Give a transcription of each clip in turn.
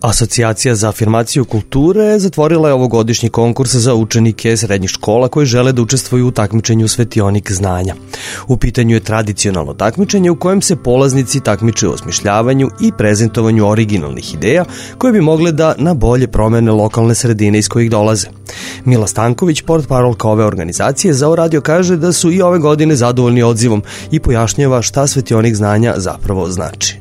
Asocijacija za afirmaciju kulture zatvorila je ovogodišnji konkurs za učenike srednjih škola koji žele da učestvuju u takmičenju Svetionik znanja. U pitanju je tradicionalno takmičenje u kojem se polaznici takmiče u osmišljavanju i prezentovanju originalnih ideja koje bi mogle da na bolje promene lokalne sredine iz kojih dolaze. Mila Stanković, portparolka ove organizacije, za radio kaže da su i ove godine zadovoljni odzivom i pojašnjava šta Svetionik znanja zapravo znači.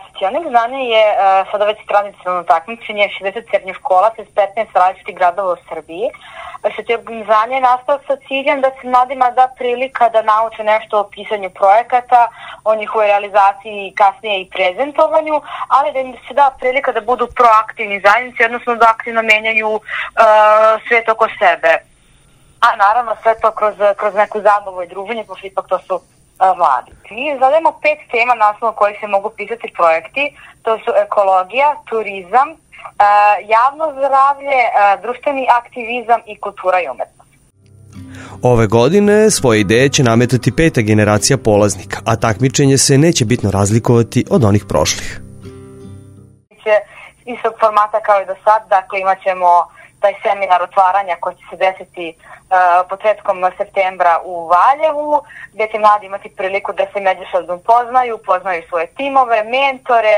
Svetionik znanja je sada već tradicionalno takmičenje 60 srednjih škola sa 15 različitih gradova u Srbiji. Svetionik znanja je nastao sa ciljem da se mladima da prilika da nauče nešto o pisanju projekata, o njihovoj realizaciji i kasnije i prezentovanju, ali da im se da prilika da budu proaktivni zajednici, odnosno da aktivno menjaju svet oko sebe. A naravno sve to kroz neku zabavu i druženje, pošto ipak to su mladi. Mi zadajemo 5 tema na osnovu kojih se mogu pisati projekti. To su ekologija, turizam, javno zdravlje, društveni aktivizam i kultura i umetnost. Ove godine svoje ideje će nametati 5. generacija polaznika, a takmičenje se neće bitno razlikovati od onih prošlih. Istog formata kao i do sad, dakle imat ćemo taj seminar otvaranja koji će se desiti početkom septembra u Valjevu, gdje će mladi imati priliku da se međusobno upoznaju svoje timove, mentore,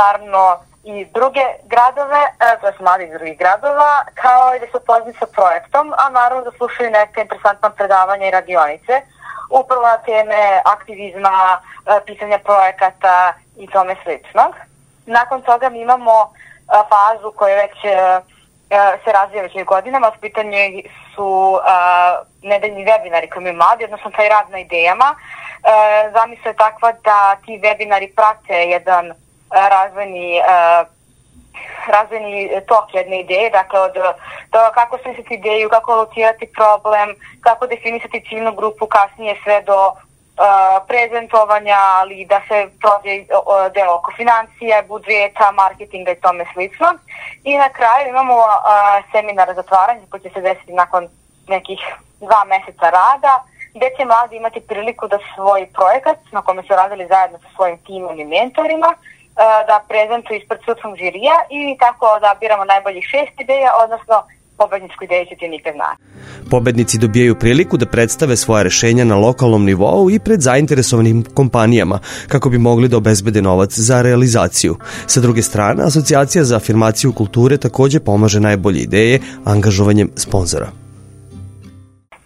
naravno i druge gradove, to su mladi iz drugih gradova, kao i da se upoznaju sa projektom, a naravno da slušaju neke interesantna predavanja i radionice, upravo na teme aktivizma, pisanja projekata i tome sličnog. Nakon toga mi imamo fazu koja već se razvija već godinama. U pitanju su nedeljni webinari koji imaju mladi, odnosno taj rad na idejama. Zamisla je takva da ti webinari prate jedan razvojni tok jedne ideje, dakle od toga kako smisliti ideju, kako locirati problem, kako definisati ciljnu grupu, kasnije sve do prezentovanja, ali da se prođe delo oko financija, budžeta, marketinga i tome slično. I na kraju imamo seminar za zatvaranje koji će se desiti nakon nekih 2 meseca rada, gdje će mladi imati priliku da svoj projekat, na kome su radili zajedno sa svojim timom i mentorima, da prezentuju ispred sudskog žirija i tako odabiramo najboljih 6 ideja, odnosno pobedničku ideju će ti nikad znati. Pobednici dobijaju priliku da predstave svoje rešenja na lokalnom nivou i pred zainteresovanim kompanijama kako bi mogli da obezbede novac za realizaciju. Sa druge strane, Asocijacija za afirmaciju kulture takođe pomaže najbolje ideje angažovanjem sponzora.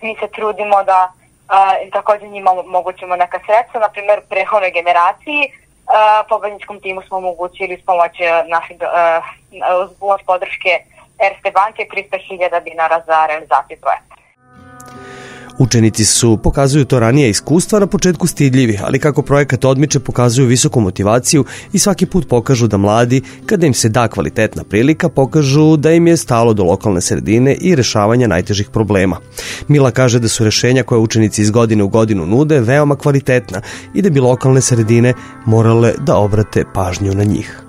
Mi se trudimo da takođe njima omogućimo neka sredstva, na primjer prethodnoj generaciji. Pobedničkom timu smo omogućili s pomoć naših podrške Erste banke 300.000 dinara za realizaciju projekta. Učenici pokazuju to ranije iskustva na početku stidljivi, ali kako projekat odmiče pokazuju visoku motivaciju i svaki put pokažu da mladi, kada im se da kvalitetna prilika, pokažu da im je stalo do lokalne sredine i rešavanja najtežih problema. Mila kaže da su rešenja koje učenici iz godine u godinu nude veoma kvalitetna i da bi lokalne sredine morale da obrate pažnju na njih.